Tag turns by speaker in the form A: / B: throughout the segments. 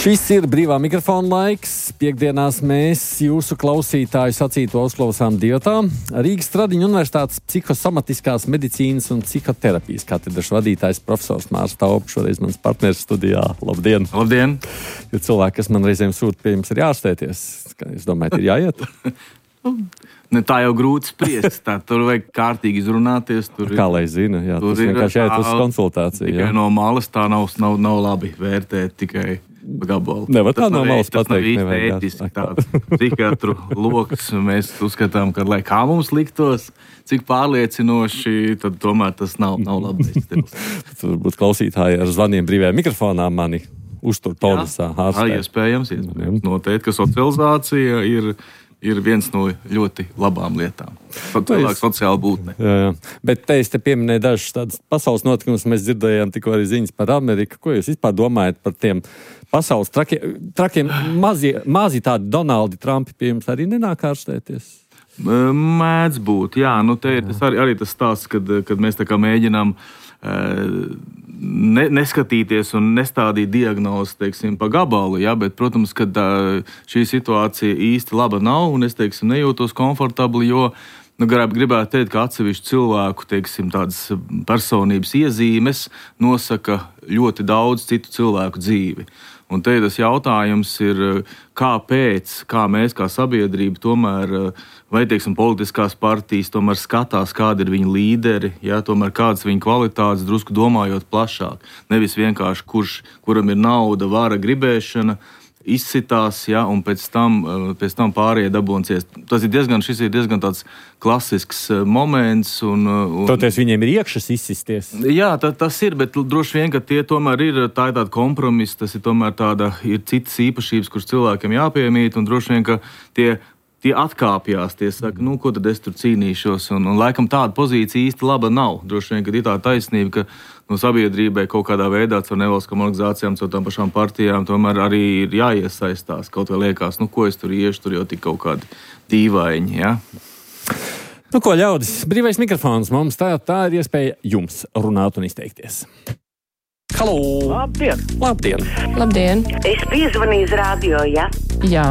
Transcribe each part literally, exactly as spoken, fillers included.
A: Šis ir brīvā mikrofona laiks. Piektdienās mēs jūsu klausītāju sacīto uzklausām divatā. Rīgas Stradiņu Universitātes psihosomatiskās medicīnas un psihoterapijas katedras vadītājs profesors Mārs Taupe, šoreiz mans partneris studijā. Labdien!
B: Labdien!
A: Jo cilvēki, kas man reizēm sūta pie jums, ir jāārstēties. Es domāju, ir jāiet.
B: Ne, tā jau grūti spriest. Tā, tur vajag kārtīgi izrunāties. Tur
A: Kā lai zina, jā, tas vienkārši jāiet uz konsultāciju.
B: Tikai
A: Jā.
B: no malas tā nav, nav, nav labi vērtēt tikai gabalu.
A: Nevar tā
B: Tas
A: no
B: nav
A: malas
B: ē- tas nav
A: pateikt,
B: īsti
A: nevajag
B: ētiski.
A: tā.
B: Tāds psihiatru loks mēs uzskatām, ka lai kā mums liktos, cik pārliecinoši, tad tomēr tas nav, nav labs stils.
A: Varbūt klausītāji ar zvaniem brīvajā mikrofonā mani uztur tonusā.
B: Jā,
A: ārstē.
B: iespējams, iespējams. Noteikti, ka socializācija ir, ir viens no ļoti labām lietām. Cilvēks sociāli būtne.
A: Jā, jā. Bet te es te pieminēju dažus tādus pasaules notikumus. Mēs dzirdējām tikko arī ziņas par Ameriku. Ko jūs vispār domājat par tiem pasaules trakiem, trakiem mazi, mazi tādi Donaldi Trumpi pie jums arī nenāk ārstēties?
B: Mēdz būt, jā. Nu, te ir tas arī, arī tas stāsts, kad, kad mēs tā kā mēģinām ne, neskatīties un nestādīt diagnozi, teiksim, pa gabalu, jā, bet, protams, ka šī situācija īsti laba nav, un es, teiksim, nejūtos komfortabli, jo nu, gribētu teikt, ka atsevišķu cilvēku, teiksim, tādas personības iezīmes nosaka ļoti daudz citu cilvēku dzīvi. Un te tas jautājums ir, kāpēc, kā mēs kā sabiedrība tomēr, vai, teiksim, politiskās partijas tomēr skatās, kādi ir viņa līderi, jā, tomēr kādas viņa kvalitātes, drusku domājot plašāk. Nevis vienkārši, kurš, kuram ir nauda, vara, gribēšana, izsitās, ja, un pēc tam, pēc tam pārējie dabūnsies. Tas ir diezgan, šis ir diezgan tāds klasisks moments. Un, un...
A: Toties viņiem ir iekšas izsisties.
B: Jā, tā, tas ir, bet droši vien, ka tie tomēr ir, tā ir tāda kompromisa, tas ir tomēr tāda, ir citas īpašības, kuras cilvēkiem jāpiemīt, un droši vien, ka tie, tie atkāpjās, tie saka, nu, ko tad es tur cīnīšos, un, un laikam tāda pozīcija īsti laba nav. Droši vien, ka ir tā taisnība, ka no sabiedrībai kaut kādā veidā caur nevalstiskām organizācijām, caur tām pašām partijām, tomēr arī ir jāiesaistās. Kaut vai liekas, nu ko es tur iešu, tur jau tik kaut kādi dīvaini, ja?
A: Nu ko, ļaudis, brīvais mikrofons mums, tā, tā ir iespēja jums runāt un izteikties. Halo!
C: Labdien!
A: Labdien!
D: Labdien!
C: Es piezvanīju uz radio, ja?
D: Jā.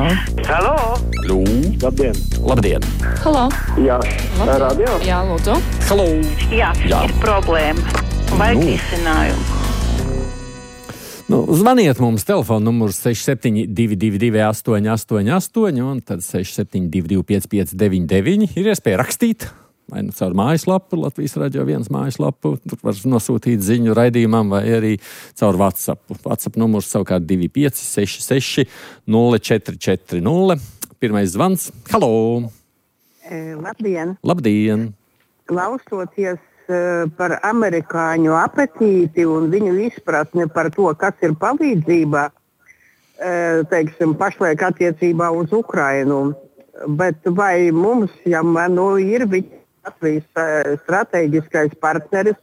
C: Halo!
A: Lū!
E: Labdien!
A: Labdien!
D: Halo!
E: Jā,
D: Labdien.
E: radio?
D: Jā, lūdzu.
A: Halo!
C: Jā,
A: Jā.
C: ir problēma. Vajag
A: Nu.
C: risinājumu.
A: Nu, zvaniet mums, telefona numurs seši septiņi divi divi divi astoņi astoņi astoņi un tad seši septiņi divi divi pieci pieci deviņi deviņi. Ir iespēja rakstīt, vai nu caur mājaslapu, Latvijas radio viens mājaslapu, tur var nosūtīt ziņu raidījumam, vai arī caur WhatsApp. WhatsApp numurs savukārt divi pieci seši seši nulle četri četri nulle. Pirmais zvans. Halo!
F: E, Labdien!
A: Labdien!
F: Klausoties e, par amerikāņu apetīti un viņu izpratni par to, kas ir palīdzība, e, teiksim, pašlaik attiecībā uz Ukrainu. Bet vai mums, ja man nu, ir Latvijas e, strateģiskais partneris,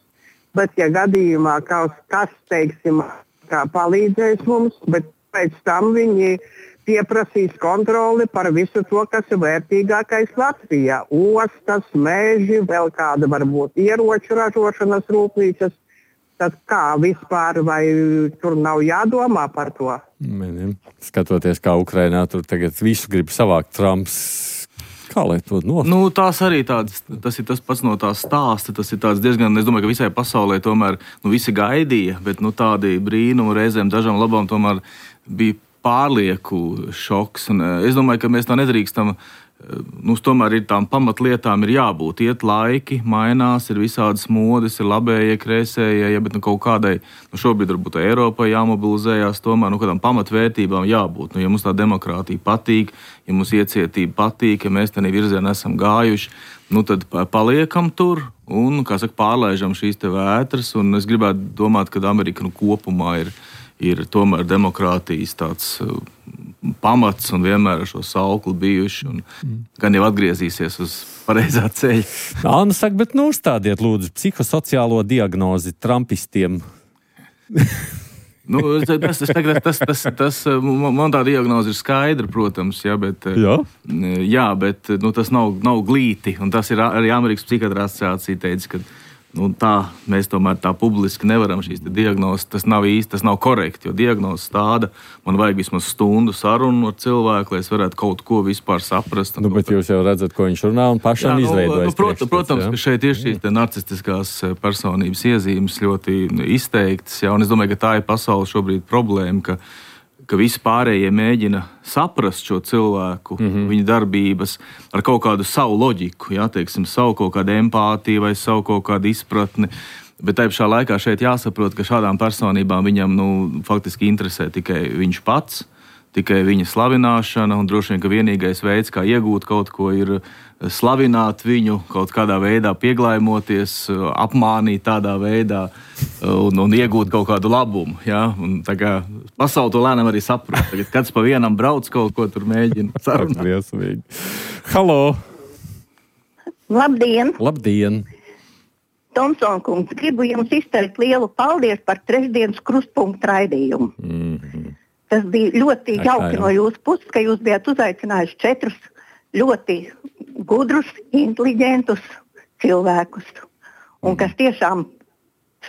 F: bet ja gadījumā kaut kas, teiksim, kā palīdzēs mums, bet pēc tam viņi pieprasīs kontroli par visu to, kas ir vērtīgākais Latvijā. Ostas, meži, vēl kāda varbūt ieroču ražošanas rūpnīcas. Tad kā vispār, vai tur nav jādomā par to?
A: Mēģinām. Skatoties, kā Ukrainā tur tagad visu grib savākt Trumps. Kā lai to nosauc?
B: Nu, tās arī tādas, tas ir tas pats no tās stāsta, tas ir tāds diezgan, es domāju, ka visai pasaulē tomēr, nu, visi gaidīja, bet, nu, tādi brīnumi reizēm dažām labām tomēr bija pārlieku šoks. Un es domāju, ka mēs tā nedrīkstam, nu, tomēr ir tām pamatlietām ir jābūt. Iet laiki, mainās, ir visādas modes, ir labējie, kreisējie, ja, bet nu, kaut kādai, nu, šobrīd varbūt Eiropai jāmobilizējās, tomēr, nu, kādām pamatvērtībām jābūt. Nu, ja mums tā demokrātija patīk, ja mums iecietība patīk, ja mēs tādā virzienā esam gājuši, nu, tad paliekam tur un, kā saka, pārlaižam šīs te vētras. Un es gribētu domāt, ka Amerika nu, kopumā ir ir tomēr demokrātijas tāds uh, pamats un vienmēr ar šo saukli bijuši, un mm. gan jau atgriezīsies uz pareizā ceļa.
A: Anna saka, bet nu uzstādiet lūdzu psihosociālo diagnozi trumpistiem.
B: Nu, tas, tas, tas, tas, tas, man tā diagnoze ir skaidra, protams, jā, bet,
A: jā?
B: Jā, bet nu, tas nav, nav glīti, un tas ir arī Amerikas psihiatra asociācija teica, ka Nu, tā mēs tomēr tā publiski nevaram šīs diagnozes. Tas nav īsti, tas nav korekti, jo diagnozes tāda, man vajag vismaz stundu sarunu ar cilvēku, lai es varētu kaut ko vispār saprast.
A: Nu, bet jūs jau redzat, ko viņš runā un pašam jā, izveidojas.
B: Nu, protams, protams ka šeit ir šīs narcistiskās personības iezīmes ļoti izteiktas, jā, un es domāju, ka tā ir pasaules šobrīd problēma, ka ka visi pārējie mēģina saprast šo cilvēku, mm-hmm. viņa darbības ar kaut kādu savu loģiku, jā, teiksim, savu kaut kādu empātiju vai savu kaut kādu izpratni. Bet tajā pašā laikā šeit jāsaprot, ka šādām personībām viņam nu, faktiski interesē tikai viņš pats, tikai viņa slavināšana, un droši vien, ka vienīgais veids, kā iegūt kaut ko, ir slavināt viņu, kaut kādā veidā pieglājmoties, apmānīt tādā veidā un, un iegūt kaut kādu labumu. Ja? Un, tā kā pasauli to lēnām arī saprot. Tagad kāds pa vienam brauc kaut ko tur mēģina sarunāt.
A: Halo!
D: Labdien!
A: Labdien!
D: Tomson kungs, gribu jums izteikt lielu paldies par trešdienas krustpunktu raidījumu.
A: Mm-hmm.
D: Tas bija ļoti jauki no jūsu puses, ka jūs bijat uzaicinājuši četrus ļoti gudrus, inteliģentus cilvēkus, un kas tiešām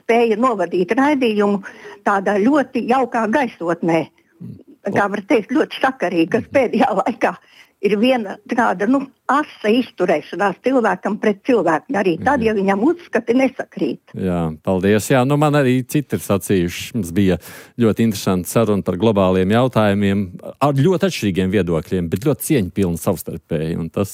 D: spēja novadīt raidījumu tādā ļoti jaukā gaisotnē, kā var teikt, ļoti sakarīgi, kas pēdējā laikā ir viena tāda, nu, asa izturēšanās cilvēkam pret cilvēku, arī tad, ja viņam uzskati nesakrīt.
A: Jā, paldies. Jā, nu man arī citi ir sacījuši. Mums bija ļoti interesanti saruna par globāliem jautājumiem ar ļoti atšķirīgiem viedokļiem, bet ļoti cieņpilni savstarpēji, un tas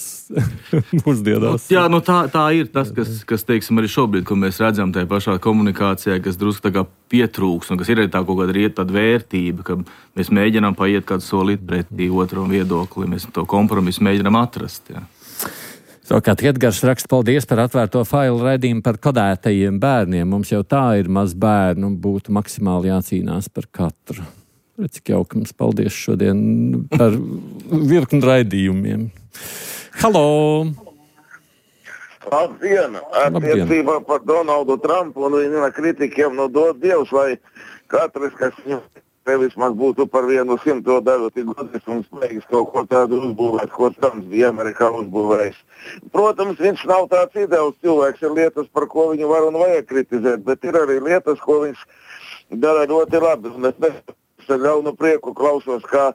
A: mūsdienās.
B: Jā, nu tā, tā ir tas, kas, kas, teiksim, arī šobrīd, ko mēs redzam tajā pašā komunikācijā, kas drusku tā kā pietrūks, un kas ir arī tā kaut kāda riet tāda vērtība, ka mēs mēģinām paiet kādu solīt pretī otram viedokli, mēs to kompromisu mēģinām atrast, jā.
A: Savukārt Edgars raksta, paldies par atvērto failu raidījumu par kodētajiem bērniem. Mums jau tā ir maz bērnu un būtu maksimāli jācīnās par katru. Redz, cik jauki mums paldies šodien par virkni raidījumiem. Halo!
E: Labdien! Attiecībā par Donaldu Trumpu un viņa kritikiem no dod Dievs, lai katrs, kas viņu vismaz būtu par vienu simto daļu tik godis un spējas kaut ko tādu uzbūvēt, ko Trumps bija Amerikā uzbūvējis. Protams, viņš nav tāds ideāls cilvēks, ir lietas, par ko viņu var un vajag kritizēt, bet ir arī lietas, ko viņš dara ļoti labi. Un es nesaku ar ļaunu prieku klausos, kā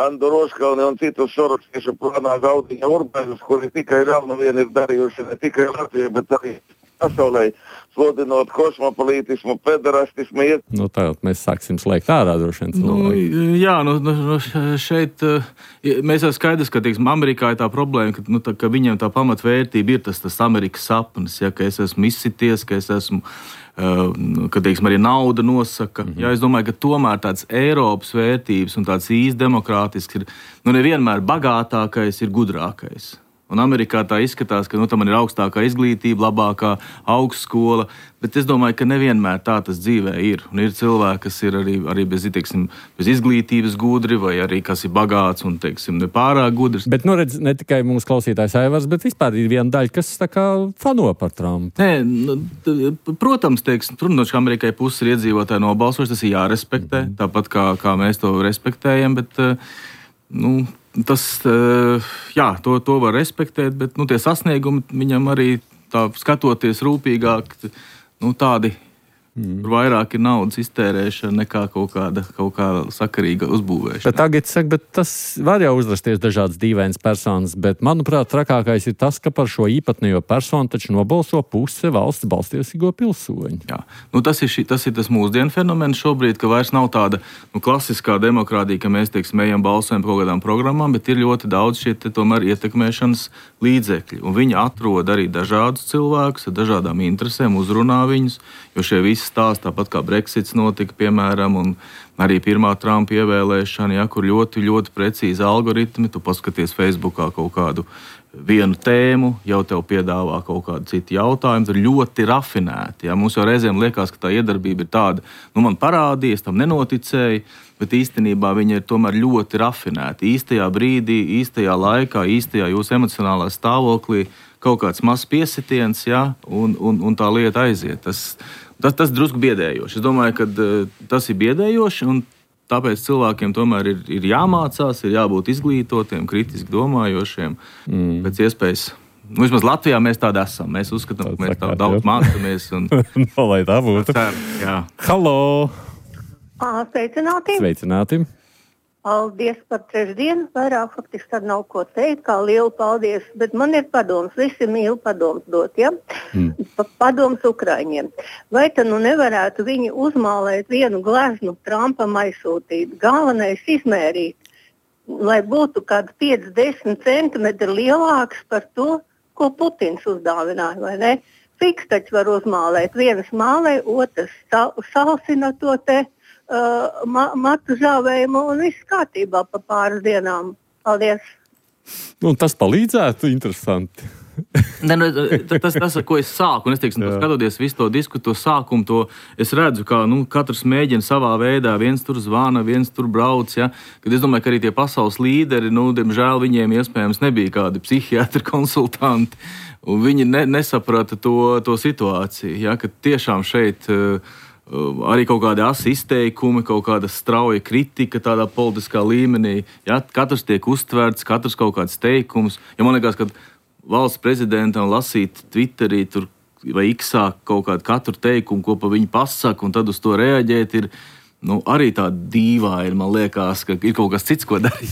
E: Andu Roškalni un citus sorokstiešu plānā Gaudiņa Urbēnus, kuri tikai ļaunu vien ir darījuši ne tikai Latviju, bet arī pasaulē, sludinot kosmopolītismu, pederastismu. Iet...
A: Nu tā, mēs sāksim slēgt ārā droši vien cilvēki.
B: Nu, jā, nu, nu šeit mēs jau skaidrs, ka, teiksim, Amerikā ir tā problēma, ka, nu, tā, ka viņiem tā pamatvērtība ir tas, tas Amerikas sapnis, ja, ka es esmu izsities, ka es esmu, uh, ka, teiksim, arī nauda nosaka. Mm-hmm. Jā, es domāju, ka tomēr tāds Eiropas vērtības un tāds īsti demokrātisks ir, nu, nevienmēr bagātākais ir gudrākais. Un Amerikā tā izskatās, ka nu, tam ir augstākā izglītība, labākā augstskola, bet es domāju, ka nevienmēr tā tas dzīvē ir. Un ir cilvēki, kas ir arī, arī bez, teiksim, bez izglītības gudri, vai arī kas ir bagāts un, teiksim, nepārāk gudrs.
A: Bet, nu redz, ne tikai mūsu klausītājs Aivars, bet vispār ir viena daļa, kas tā kā fano par Trumpu.
B: Nē, nu, protams, teiksim, protams, ka Amerikai puses ir iedzīvotāji nobalsojuši, tas ir jārespektē, mm. tāpat kā, kā mēs to respektējam, bet, nu, tas, jā, to, to var respektēt, bet nu, tie sasniegumi viņam arī tā skatoties rūpīgāk, nu, tādi mm. vairāk ir naudas iztērēšana nekā kaut kāda, kaut kāda sakarīga uzbūvēšana.
A: Bet tagad saka, bet tas var jau uzrasties dažādas dīvainas personas, bet manuprāt, trakākais ir tas, ka par šo īpatnējo personu taču nobalso puse valsts balstiesīgo pilsoņu.
B: Jā, nu, tas ir, šī, tas ir tas mūsdienu fenomens šobrīd, ka vairs nav tāda nu, klasiskā demokrātija, ka mēs, teiksim, ejam balsojam par kaut kādām programmām, bet ir ļoti daudz šie te, tomēr ietekmēšanas līdzekļi. Un viņi atrod arī dažādus cilvēkus ar dažādām interesēm, uzrunā viņus, jo šie visi stāsti, tāpat kā Brexits notika, piemēram, un arī pirmā Trumpa ievēlēšana, ja, kur ļoti, ļoti precīzi algoritmi, tu paskaties Facebookā kaut kādu vienu tēmu, jau tev piedāvā kaut kādu citu jautājumu, tur ļoti rafinēti. Ja. Mums jau reizēm liekas, ka tā iedarbība ir tāda, nu man parādījies, tam nenoticēja, bet īstenībā viņa ir tomēr ļoti rafinēta. Īstajā brīdī, īstajā laikā, īstajā jūsu emocionālā stāvoklī kaut kāds mazs piesitiens, ja, un, un, un tā lieta aiziet. Tas, Tas, tas drusku biedējoši. Es domāju, ka uh, tas ir biedējoši, un tāpēc cilvēkiem tomēr ir, ir jāmācās, ir jābūt izglītotiem, kritiski domājošiem, mm. pēc iespējas Nu, vismaz Latvijā mēs tādi esam. Mēs uzskatām, ka mēs tādu daudz mācāmies. Un...
A: no, lai tā būtu.
B: Cer, jā.
A: Halo!
D: Sveicināti!
A: Sveicināti!
D: Paldies par trešdienu. Vairāk faktiski tad nav ko teikt, kā lielu paldies. Bet man ir padoms, visi mīl padoms dot, ja? Mm. Padoms Ukraiņiem. Vai tad nu nevarētu viņi uzmālēt vienu gleznu Trumpam aizsūtīt? Galvenais izmērīt, lai būtu kādi pieci desmit centimetri lielāks par to, ko Putins uzdāvināja, vai ne? Fiks taču var uzmālēt. Vienas mālē, otrs salsina to te uh, ma matu žāvējumu un viss kārtībā pa pāris dienām. Paldies!
A: Nu, tas palīdzētu, interesanti.
B: Ne, nu, tas, tas, ar ko es sāku, un es teiksim, skatoties visu to disku, to sākumu, to es redzu, kā nu, katrs mēģina savā veidā, viens tur zvana, viens tur brauc, ja? Kad es domāju, ka arī tie pasaules līderi, nu, diemžēl viņiem iespējams nebija kādi psihiatri konsultanti, un viņi ne, nesaprata to, to situāciju, ja? Kad tiešām šeit uh, arī kaut kādi asi izteikumi, kaut kāda strauja kritika tādā politiskā līmenī, ja? Katrs tiek uztverts, katrs kaut kāds teikums, ja man liekas, ka valsts prezidentam lasīt Twitterī tur, vai X-ā kaut kādu katru teikumu, ko pa viņu pasaka, un tad uz to reaģēt, ir nu, arī tā dīvaini, man liekas, ka ir kaut kas cits, ko darīt.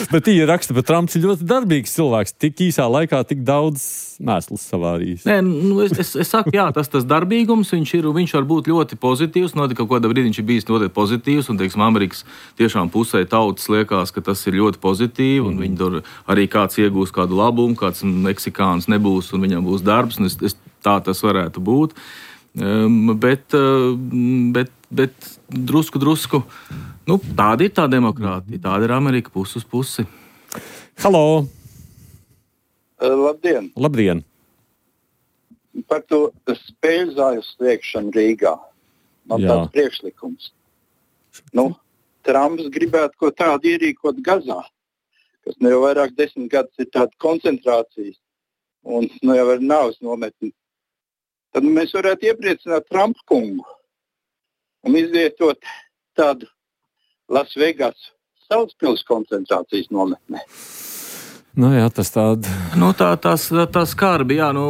A: Bet īri raksta, ka Trumps ir ļoti darbīgs cilvēks, tik īsā laikā tik daudz mēslas savārījis.
B: Nē, nu, es, es, es saku, jā, tas, tas darbīgums, viņš ir, viņš var būt ļoti pozitīvs, notika kaut kādā brīdī viņš ir bijis ļoti pozitīvs, un, teiksim, Amerikas tiešām pusē tautas liekas, ka tas ir ļoti pozitīvi, un mm. viņi tur arī kāds iegūs kādu labumu, kāds meksikāns nebūs, un viņam būs darbs, un es, es, tā tas varētu būt. Um, bet, uh, bet, bet drusku, drusku, nu, tāda ir tā demokrātija, tāda ir Amerika pusi uz pusi.
A: Halo!
G: Uh, labdien!
A: Labdien!
G: Par to spēļu zāļu slēgšanu Rīgā. Man Jā. tāds priekšlikums. Nu, Trumps gribētu ko tādu ierīkot Gazā, kas nu jau vairāk desmit gadus ir tāda koncentrācijas un nu jau ir nāves nometni. Tad mēs varētu iepriecināt Trumpa kungu un izvietot tādu Las Vegas Salaspils koncentrācijas nometnē.
A: Nu jā, tas tāda.
B: Nu, tā, tās, tā skarbi, jā, nu,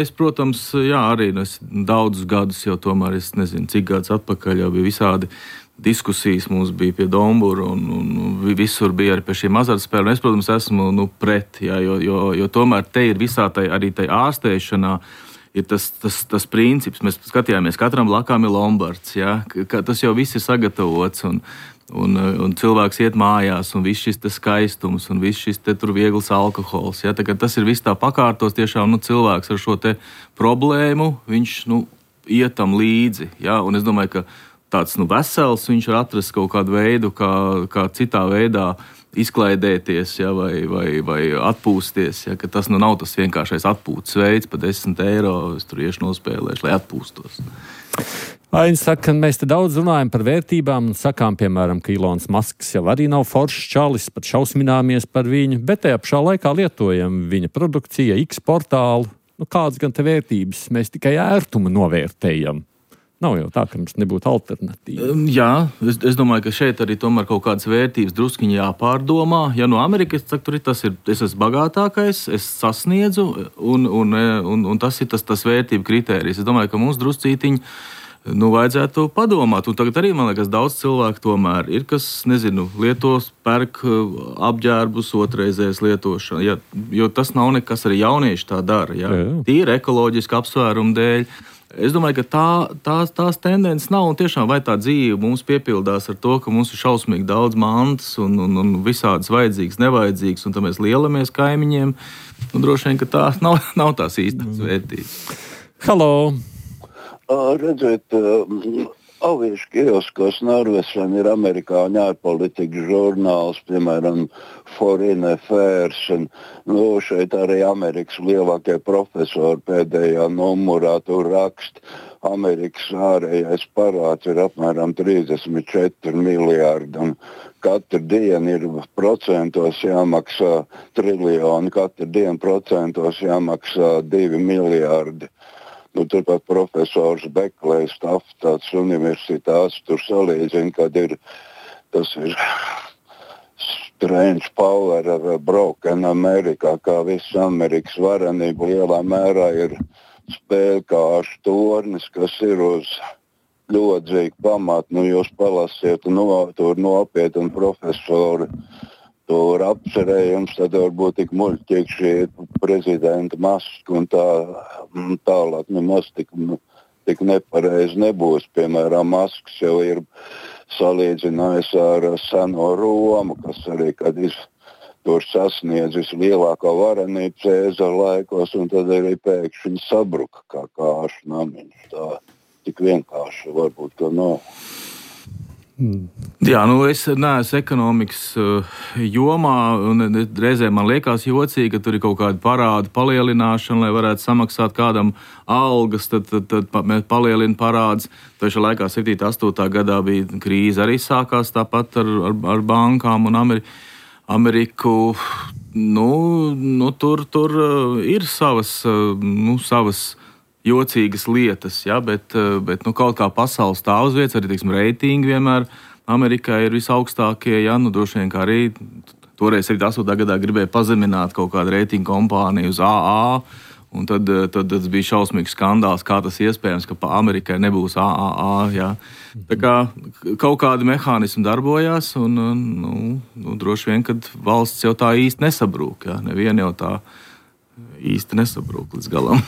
B: es, protams, jā, arī nu, es daudzus gadus jau tomēr, es nezinu, cik gadus atpakaļ jau bija visādi diskusijas mums bija pie Dombura un, un visur bija arī pie šiem azartspēlēm. Es, protams, esmu nu, pret, jā, jo, jo, jo tomēr te ir visā tai, arī tai ārstēšanā ir tas, tas, tas princips. Mēs skatījāmies, katram blakām ir lombards, jā, ka tas jau viss ir sagatavots un Un, un cilvēks iet mājās, un viss šis te skaistums, un viss šis te tur viegls alkohols. Ja? Tas ir viss tā pakārtos, tiešām nu, cilvēks ar šo te problēmu, viņš nu, ietam līdzi. Ja? Un es domāju, ka tāds nu, vesels, viņš var atrast kaut kādu veidu, kā, kā citā veidā izklaidēties, ja? vai, vai, vai atpūsties. Ja? Ka tas nu, nav tas vienkāršais atpūtas veids, pa desmit eiro es tur iešu nospēlēšu, lai atpūstos.
A: Ainis saka, ka mēs te daudz runājam par vērtībām un sakām, piemēram, ka Ilons Masks jau arī nav foršs čalis, pat šausmināmies par viņu, bet tajā pašā laikā lietojam viņa produkcija, X portālu. Nu, kādas gan te vērtības? Mēs tikai ērtumu novērtējam. Nav jau tā, ka mums nebūtu alternatīva.
B: Jā, es, es domāju, ka šeit arī tomēr kaut kādas vērtības druskiņi jāpārdomā. Ja no Amerikas, tad tur ir tas, ir, es esmu bagātākais, es sasniedzu, un, un, un, un tas ir tas, tas vērtību kritērijs. Es domāju, ka mums druscītiņi nu, vajadzētu padomāt. Un tagad arī, man liekas, daudz cilvēku tomēr ir, kas, nezinu, lietos, pērk apģērbus otrreizējas lietošana. Ja, jo tas nav nekas, arī jaunieši tā dara. Ja. Tīri ekoloģiski apsvērumu dēļ. Es domāju, ka tā, tās, tās tendences nav, un tiešām vai tā dzīve mums piepildās ar to, ka mums ir šausmīgi daudz mantas un, un, un visādas vajadzīgas, nevajadzīgas, un tad mēs lielamies kaimiņiem. Un droši vien, ka tā nav, nav tās īstās vērtības.
A: Halo!
E: Uh, redziet, uh, aviešu kioskos Norvešana ir amerikāņu ārpolitikas žurnāls, piemēram, Foreign Affairs, un nu, šeit arī Amerikas lielākie profesori pēdējā numurā tur rakst. Amerikas ārējais parāds ir apmēram trīsdesmit četri miljārdi, un katru dienu ir procentos jāmaksā triljoni, katru dienu procentos jāmaksā divi miljārdi. Nu, turpat profesors Beklējs Taftats universitātes tur salīdzina, kad ir, tas ir strange power of a broken America, kā viss Amerikas varenība lielā mērā ir spēlkāršu tornis, kas ir uz ļodzīgu pamatu. Nu, jūs palasiet no, tur nopietni un profesori tur apcerējums, tad varbūt tik muļķīgi šī prezidenta maska un tā tālāk nemaz tik, tik nepareizi nebūs. Piemēram, maskas jau ir salīdzinājis ar seno Romu, kas arī, kad ir tur sasniedzis lielākā varenība Cēzara laikos, un tad arī pēkšņi sabruka kā kāšu namiņš. Tā tik vienkārši varbūt to nav.
B: Jā, nu es neesmu ekonomikas uh, jomā, un reizē man liekas jocīgi, ka tur ir kaut kāda parāda palielināšana, lai varētu samaksāt kādam algas, tad, tad, tad mēs palielinām parādus. Taču laikā septītā, astotā gadā bija krīze, arī sākās tāpat ar, ar, ar bankām un Ameri, Ameriku. Nu, nu, tur, tur uh, ir savas, uh, nu, savas jocīgas lietas, ja, bet, bet nu, kaut kā pasaules stāv uz vietas, arī teiksim, reitingi vienmēr Amerikā ir visaugstākie. Ja, nu, droši vien kā arī toreiz septītā, astotā gadā gribēja pazemināt kaut kādu reitingu kompāniju uz A A, un tad, tad, tad bija šausmīgs skandāls, kā tas iespējams, ka Amerikai nebūs A A A. Ja. Tā kā kaut kādi mehānismi darbojās, un nu, nu, droši vien, kad valsts jau tā īsti nesabrūk. Ja. Neviena jau tā īsti nesabrūk līdz galam.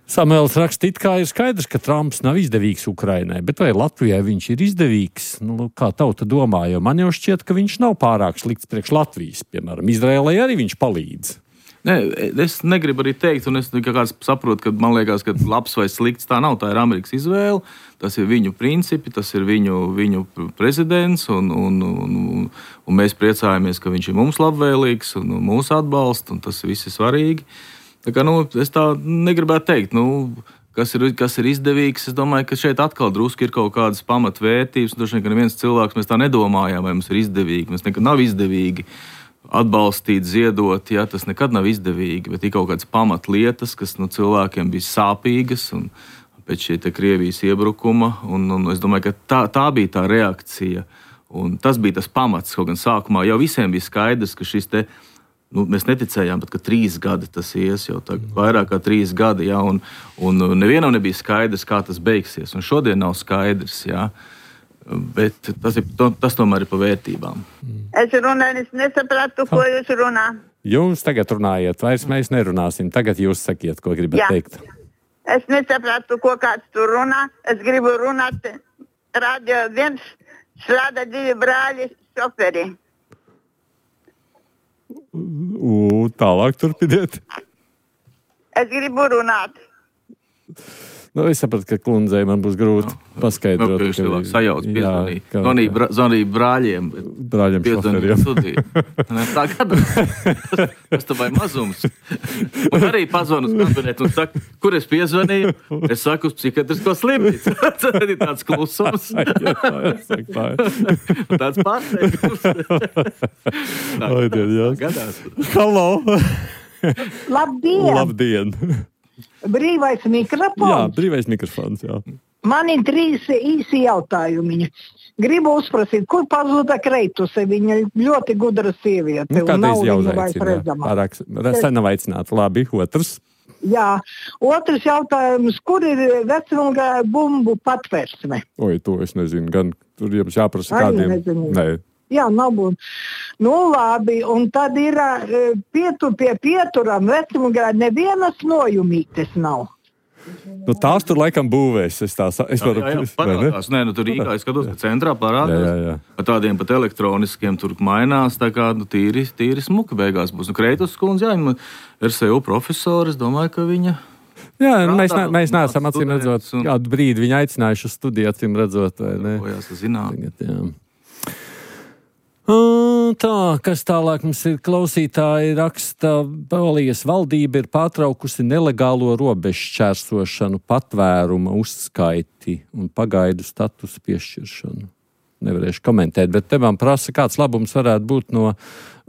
A: Samuēls raksta, it kā ir skaidrs, ka Trumps nav izdevīgs Ukrainai, bet vai Latvijai viņš ir izdevīgs? Nu, kā tauta domā, jo man jau šķiet, ka viņš nav pārāk slikts priekš Latvijas. Piemēram, Izraēlai arī viņš palīdz.
B: Ne, es negribu arī teikt, un es kāds saprotu, ka man liekas, ka labs vai slikts tā nav, tā ir Amerikas izvēle, tas ir viņu principi, tas ir viņu, viņu prezidents, un, un, un, un mēs priecājamies, ka viņš ir mums labvēlīgs un mūs atbalsta, un tas viss ir svarīgi. Tā kā, nu, es tā negribētu teikt, nu, kas ir, kas ir izdevīgs. Es domāju, ka šeit atkal drusku ir kaut kādas pamatvērtības. Droši vien, ka neviens cilvēks mēs tā nedomājām, vai mums ir izdevīgi. Mums nekad nav izdevīgi atbalstīt, ziedot, ja, tas nekad nav izdevīgi, bet ir kaut kādas pamatlietas, kas nu, cilvēkiem bija sāpīgas un pēc šī te Krievijas iebrukuma. Un, un es domāju, ka tā, tā bija tā reakcija. Un tas bija tas pamats, kaut gan sākumā jau visiem bija skaidrs, ka šis te Nu, mēs neticējām, bet, ka trīs gadi tas ies, jau tā, vairāk kā trīs gadi, ja, un, un nevienam nebija skaidrs, kā tas beigsies, un šodien nav skaidrs, ja, bet tas, ir, tas tomēr ir pa vērtībām.
F: Es runāju, es nesapratu, ko jūs runā.
A: Jūs tagad runājiet, vairs mēs nerunāsim, tagad jūs sakiet, ko gribat Jā. teikt.
F: Es nesapratu, ko kāds tur runā, es gribu runāt, radio viens slāda divi brāļi šoferi.
A: U, tālāk turpiniet.
F: Es gribu runāt.
A: Nu, es sapratu, ka kundzei man būs grūti no, paskaidrot.
B: Nu, ka sajauc, piezvanīja brā, brāļiem.
A: Brāļiem šoferiem.
B: Tā gadās. Tas tā vai mazums. Un arī pazvanu uz kabinetu un saka, kur es piezvanīju? Es saku uz psihiatrisko slimnīcu. Tas ir tāds klusums.
A: jā, tā ir, tā ir.
B: Tāds pārsteigums. Tā,
A: tā
B: gadās.
A: Halo!
D: Labdien!
A: Labdien!
D: Brīvais mikrofons.
A: Jā, brīvais mikrofons, jā.
D: Man ir trīs īsi jautājumi. Gribu uzprasīt, kur pazuda Kreituse? Viņa ļoti gudra sieviete.
A: Nu, kādreiz jau uzaicināja. Pārāk sen nav aicināta. Labi, otrs.
D: Jā, otrs jautājums, kur ir vecumgā bumbu patvērsme?
A: Oi, to es nezinu. Gan tur jums jāprasa kādiem. Nē.
D: Jā, nav būt. Nu, labi, un tad ir pietur pie pieturam vecumgā nevienas nojumītes nav.
A: Nu, tās tur laikam būvēs. Es tā, es
B: jā, jā, jā, parādās. Nē, nu tur Rīgā es skatos, ka centrā parādās.
A: Jā, jā, jā.
B: Ar tādiem pat elektroniskiem tur mainās, tā kā nu, tīri, tīri smuka beigās būs. Nu, Kreitus skundze, jā, R S U profesori, es domāju, ka viņa...
A: Jā, Prādā, mēs, ne, mēs neesam acīm redzot, un... kādu brīdi viņa aicinājuši uz studiju, acīm redzot, vai ne?
B: Ko jāsaka zināt.
A: Tagad, jā. Tā, kas tālāk mums ir klausītāji raksta, Polijas valdība ir pārtraukusi nelegālo robežu šķērsošanu, patvēruma uzskaiti un pagaidu statusu piešķiršanu. Nevarēšu komentēt, bet te man prasa, kāds labums varētu būt no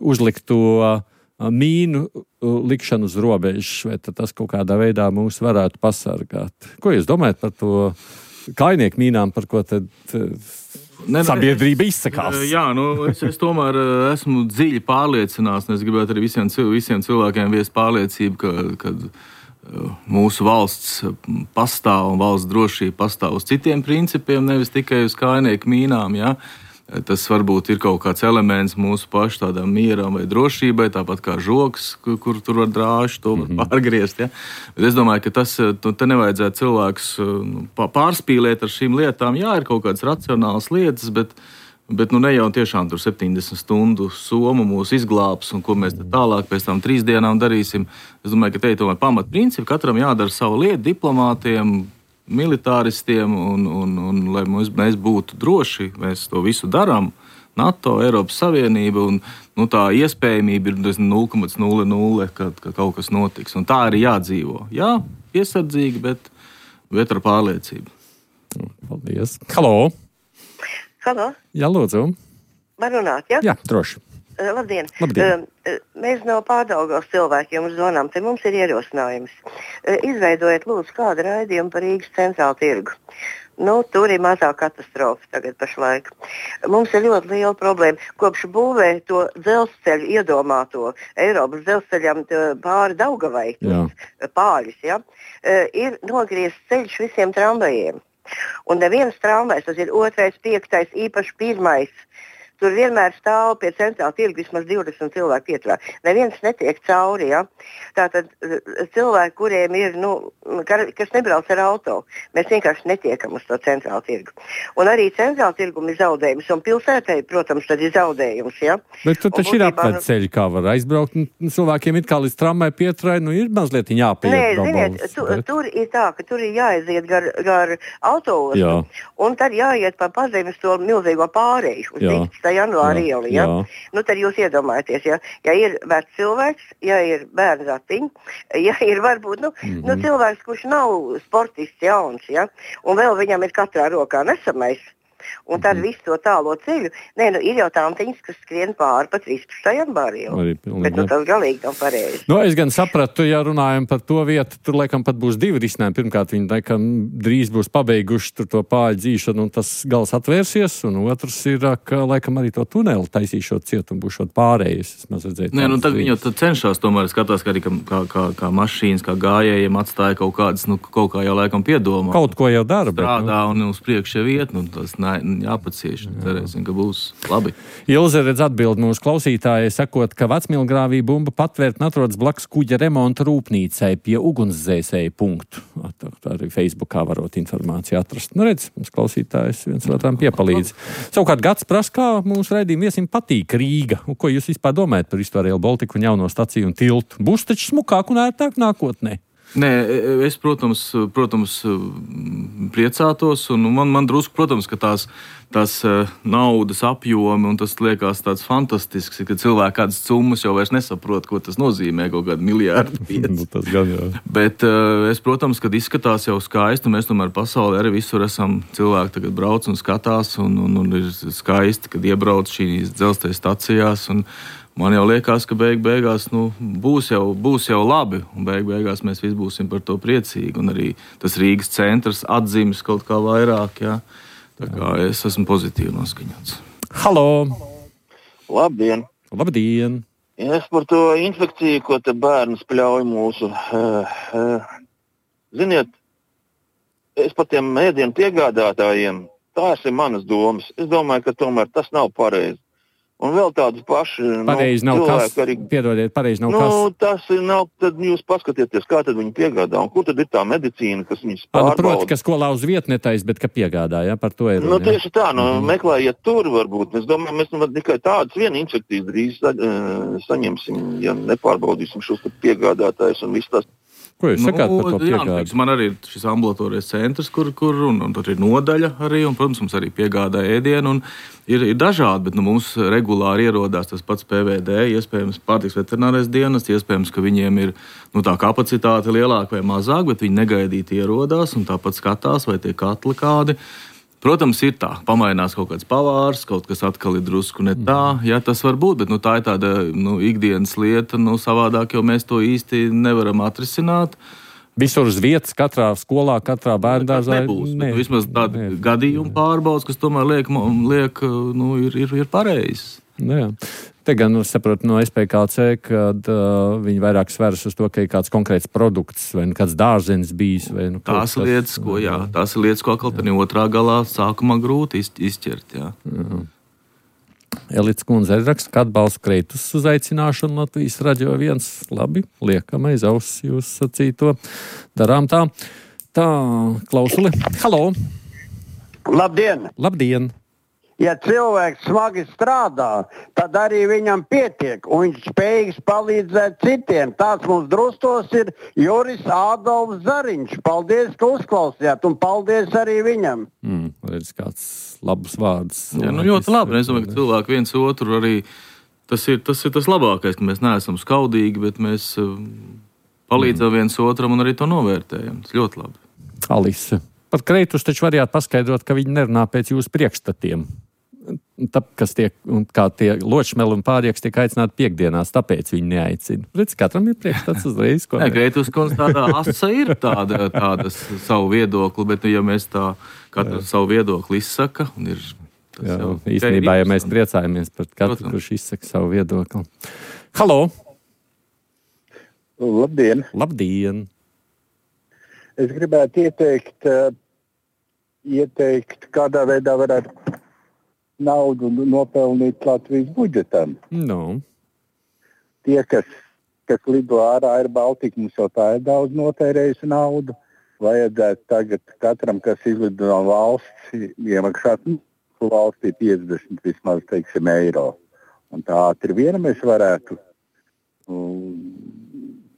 A: uzlikto mīnu likšanu uz robežas, vai tas kaut kādā veidā mūs varētu pasargāt. Ko jūs domājat par to kainieku mīnām, par ko tad ne, sabiedrība izsakās.
B: Jā, nu, es, es tomēr esmu dziļi pārliecināts, un es gribētu arī visiem, visiem cilvēkiem viest pārliecību, ka, kad mūsu valsts pastāv un valsts drošība pastāv uz citiem principiem, nevis tikai uz kājnieku mīnām, jā. Tas varbūt ir kaut kāds elements mūsu pašu tādām mieram vai drošībai, tāpat kā žoks, kur, kur tur var drāžu, to var pārgriezt. Ja? Bet es domāju, ka tas, te nevajadzētu cilvēks pārspīlēt ar šīm lietām. Jā, ir kaut kādas racionālas lietas, bet, bet nu ne jau tiešām tur septiņdesmit stundu soma mūs izglābs, un ko mēs tālāk pēc tam trīs dienām darīsim. Es domāju, ka te ir tomēr pamatprincipi, katram jādara savu lietu, diplomātiem, militāristiem, un, un, un lai mēs, mēs būtu droši, mēs to visu darām. NATO, Eiropas Savienība, un nu, tā iespējamība ir nulle komats nulle nulle, kad, kad kaut kas notiks. Un tā arī jādzīvo. Jā, piesardzīgi, bet, bet ar pārliecību.
A: Paldies. Halo!
C: Halo!
A: Jā, lūdzu.
C: Var runāt, jā?
A: Jā, droši.
C: Uh, labdien.
A: Labdien.
C: Uh, mēs no Pārdaugavas cilvēkiem zvanām, te mums ir ierosinājums. Uh, izveidojiet, lūdzu, kādu raidījumu par Rīgas centrālu tirgu. Nu, tur ir mazā katastrofa tagad pašlaik. Mums ir ļoti liela problēma. Kopš būvē to dzelzceļu iedomāto Eiropas dzelzceļam pāri Daugavai, Pāļus, ja, uh, ir nogriezts ceļš visiem tramvajiem. Un neviens tramvajs, tas ir otrais, piektais, īpaši pirmais. Tur vienmēr stāv pie centrāla tirga vismaz divdesmit cilvēku pieturā. Neviens netiek cauri, ja? Tātad cilvēki, kuriem ir, nu, kas nebrauc ar auto, mēs vienkārši netiekam uz to centrāla tirgu. Un arī centrāla tirgum ir zaudējums, un pilsētai, protams, tad ir zaudējums, ja?
A: Bet tur taču ir apveceļi, kā var aizbraukt, un cilvēkiem it kā līdz tramvai pieturai, nu ir mazliet jāpiet.
C: Nē, ziniet, tu, bet... tur ir tā, ka tur ir jāaiziet gar, gar autoostu, jā. Un tad jāiet pa pazemes to milzīgo pārēju uz dīķis. Janvāra iela, ja? Nu, tad jūs iedomājaties, ja, ja ir vecs cilvēks, ja ir bērns ratiņi, ja ir varbūt, nu, mm-hmm. nu, cilvēks, kurš nav sportists jauns, ja, un vēl viņam ir katrā rokā nesamais, un tad visu to tālo ceļu, nē, nu, ir jau tāmtiņas, kas skrien pāri pa trīspadsmitā janvāra ielu, bet, nu, tas galīgi nav pareizi.
A: Nu, es gan sapratu, ja runājam par to vietu, tur, laikam, pat būs divi risinājumi. Pirmkārt, viņi, laikam, drīz būs pabeiguši tur to pāļu dzīšanu, un tas gals atvērsies, un otrs ir, ka, laikam, arī to tuneli taisīšot ciet, un būšot pārējais.
B: Nē, nu, tad viņi jau cenšās, tomēr skatās, ka arī kā, kā, kā mašīnas, kā gājējiem atstāja kaut kādas, nu, kaut kā jau, laikam, piedomā.
A: Kaut ko jau dara, bet,
B: strādā, nu, un uz priekšu jau iet, nu, tas nē, jāpacieš, cerēsim, ka būs labi.
A: Ilze redz atbild mūsu klausītājai, sakot, ka Vecmilgrāvī bumba patvērtne atrodas blakus kuģa remonta rūpnīcai pie ugunsdzēsēja punktu. Tā arī Facebookā varot informāciju atrast. Nu redz, mums klausītājs viens otram piepalīdz. Savukārt Gats prasa, kā mūsu raidījumu viesim patīk Rīga. Un ko jūs vispār domājat par visu Rail Baltiku un jauno staciju un tiltu? Būs taču smukāk un ērtāk nākotnē?
B: Nē, es, protams, protams priecātos, un man, man drusku, protams, ka tās, tās naudas apjomi, un tas liekas tāds fantastisks, ka cilvēki kādas summas jau vairs nesaprot, ko tas nozīmē, kaut kādu miljārdu pieci.
A: Tas gan jau. Bet
B: es, protams, kad izskatās jau skaisti, mēs tomēr pasaulē arī visur esam cilvēki tagad brauc un skatās, un, un, un ir skaisti, kad iebrauc šīs dzelzceļa stacijās, un man jau liekas, ka beig beigās nu, būs, jau, būs jau labi, un beig beigās mēs visi būsim par to priecīgi, un arī tas Rīgas centrs atzīmes kaut kā vairāk, jā. Tā kā es esmu pozitīvi noskaņots.
A: Halo!
E: Labdien!
A: Labdien!
E: Es par to infekciju, ko te bērns pļauj mūsu. Uh, uh, ziniet, es par tiem ēdienu piegādātājiem, tās ir manas domas. Es domāju, ka tomēr tas nav pareizi. Un vēl tādas paši
A: pareizi
E: nu,
A: nav kas,
E: arī,
A: piedodiet, pareizi nav
E: nu,
A: kas.
E: Tas nav, tad jūs paskatieties, kā tad viņi piegādā, un kur tad ir tā medicīna, kas viņus pārbauda.
A: Nu, proti, ka skolā uz vietnetais, bet ka piegādā, ja, par to ir.
E: Nu, tieši tā, nu, mm-hmm. meklējiet tur varbūt. Es domāju, mēs nu, tikai tādas viena infekcijas drīz sa, uh, saņemsim, ja nepārbaudīsim šos piegādātājus un visu tās.
A: Ko jūs sakāt
B: nu,
A: par to piegādi?
B: Jā, man arī ir šis ambulatorais centrs, kur, kur un, un tur ir nodaļa arī, un, protams, mums arī piegādā ēdienu, un ir, ir dažādi, bet nu, mums regulāri ierodās tas pats P V D, iespējams pārtiks veterinārais dienas, iespējams, ka viņiem ir nu, tā kapacitāte lielāka vai mazāk, bet viņi negaidīti ierodās un tāpat skatās, vai tie katli kādi. Protams, ir tā, pamainās kaut kāds pavārs, kaut kas atkal ir drusku ne tā, jā, tas var būt, bet nu, tā ir tāda nu, ikdienas lieta, nu, savādāk jau mēs to īsti nevaram atrisināt.
A: Visur uz vietas, katrā skolā, katrā bērndārzā
B: nebūs. Ne, vismaz tādi gadījumi pārbaudas, kas tomēr liek, liek nu, ir, ir, ir pareizs.
A: Jā. Te gan nu, saprotu no S P K C, kad uh, viņi vairāk sveras uz to, ka ir kāds konkrēts produkts vai kāds dārzenis bijis. Vai, nu,
B: tās kas, lietas, ko, jā, tās ir lietas, ko atkal tādā otrā galā sākumā grūti izķert. Jā. Jā.
A: Elīts kundze arī raksta, ka atbalsta Kreitus uzaicināšanu Latvijas Radio viens. Labi, liekam aiz auss jūs sacīto. Darām tā. Tā, Klausuli. Halo!
H: Labdien!
A: Labdien!
H: Ja cilvēks smagi strādā, tad arī viņam pietiek, un viņš spējīgs palīdzēt citiem. Tāds mums drustos ir Juris Ādolfs Zariņš. Paldies, ka uzklausījāt, un paldies arī viņam.
A: Mm, redz, kāds labs vārds.
B: Jā, nu ļoti labi. Es domāju, ka cilvēki viens otru arī, tas ir tas, ir tas labākais, ka mēs neesam skaudīgi, bet mēs palīdzam mm. viens otram un arī to novērtējam. Tas ļoti labi.
A: Alise, par Kreitus taču varētu paskaidrot, ka viņi nerunā pēc jūsu priekšstatiem. Tāpēc tie, kā tie ločmeli un pārieks tiek aicināti piekdienās, tāpēc viņi neaicina. Redz, katram ir priekšstats uzreiz.
B: Nē, Kreitus kundze tādā asa ir tāda, tāda savu viedokli, bet ja mēs tā katru jā. Savu viedokli izsaka, un ir tas
A: jā,
B: jau...
A: Īstenībā, ja mēs priecājamies par katru, protams. Kurš izsaka savu viedokli. Halo!
I: Labdien!
A: Labdien!
I: Es gribētu ieteikt, uh, ieteikt kādā veidā varētu naudu nopelnīt Latvijas budžetam.
A: No.
I: Tie, kas, kas lido ārā, ir Baltika, mums jau tā ir daudz notērējusi naudu. Vajadzētu tagad katram, kas izlido no valsts, iemaksāt valstī piecdesmit vismaz, teiksim, eiro. Un tā ātri viena mēs varētu um,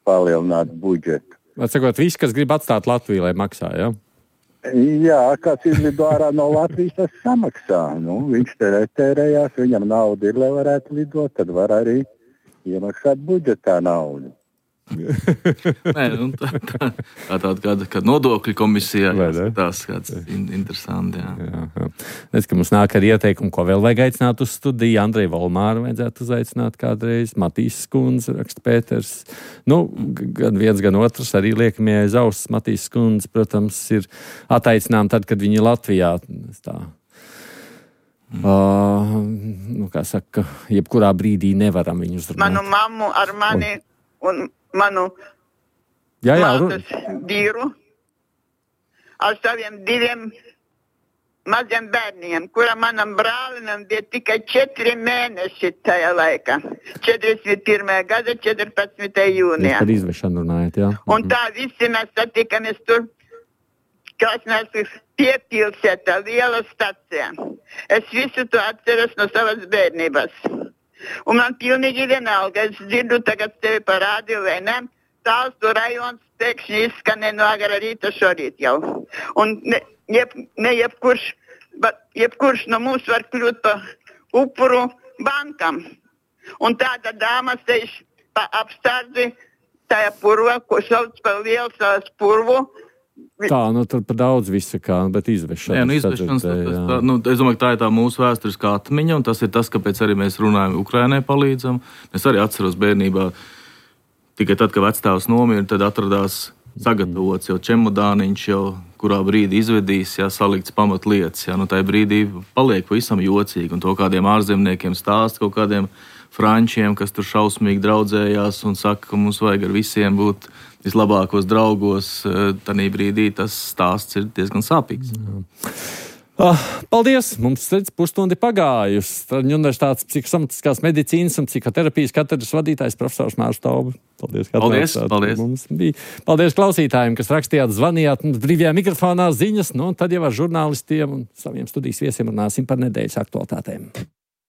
I: palielināt budžetu.
A: Atsakot, visi, kas grib atstāt Latviju, lai maksā, jā? Ja?
I: Jā, kāds izlido ārā no Latvijas, tas samaksā. Nu, viņš te retērējās, viņam nauda ir, lai varētu lidot, tad var arī iemaksāt budžetā naudu.
B: Nē, nu, tā, tā, tā tāda kāda, kāda nodokļu komisijā tās kāds in, interesanti. Jā.
A: Jā, jā. Es, ka mums nāk ar ieteikumu, ko vēl vajag aicināt uz studiju. Andreju Volmāru vajadzētu uzaicināt kādreiz. Matīs Skundze, raksta Pēters. Nu, gan viens, gan otrs arī liekamie aiz auss. Matīs Skundze, protams, ir attaicinām tad, kad viņi ir Latvijā. Tā. Mm. Uh, nu, kā saka, jebkurā brīdī nevaram viņu uzrunāt.
J: Manu mammu ar mani un manu
A: jā, jā,
J: mātes vīru ar saviem diviem maziem bērniem, kura manam brālinam bija tikai četri mēneši tajā laikā. četrdesmit pirmā gada četrpadsmitajā jūnijā.
A: Jūs par izvešanu runājat, jā?
J: Un tā visi mēs satikamies tur, kas mēs piepilsētā liela stacijā. Es visu to atceros no savas bērnības. Un man pilnīgi vienalga, es dzirdu tagad tevi par rādio vai ne, Tālstu rajons pēkšņi izskanē no agrā rīta šorīt jau. Un ne, jeb, ne jebkurš, bet jebkurš no mums var kļūt pa upuru bankam. Un tāda dāma sēž pa apstādzi tajā purvā, ko sauc par lielu savas purvu.
A: Tā, nu tur pa daudz visa kā, bet izvešana.
B: Jā, nu izvešanas, tas, tā, nu, es domāju, ka tā ir tā mūsu vēsturiskā atmiņa, un tas ir tas, kāpēc arī mēs runājam, Ukrainai palīdzam. Es arī atceros bērnībā, tikai tad, kad vecstāvs nomira, tad atradās sagatavots jau čemodāniņš, jau kurā brīdī izvedīs, jā, salikts pamatlietas, jā, nu tajā brīdī paliek pavisam jocīgi, un to kādiem ārzemniekiem stāst, kaut kādiem frančiem, kas tur šausmīgi draudzējās un saka, ka mums vajag ar visiem būt vislabākos draugos, tanī brīdī tas stāsts ir diezgan sāpīgs.
A: Ah, paldies! Mums redz pusstundi pagājusi. Universitātes psihosomatiskās medicīnas un psihoterapijas katedras vadītājs profesors Mārs Tauba. Paldies, ka
B: paldies, paldies.
A: Mums bija. Paldies klausītājiem, kas rakstījāt, zvanījāt mums brīvajā mikrofonā ziņas, nu, un tad jau ar žurnālistiem un saviem studijas viesiem runāsim par nedēļas aktualitātēm.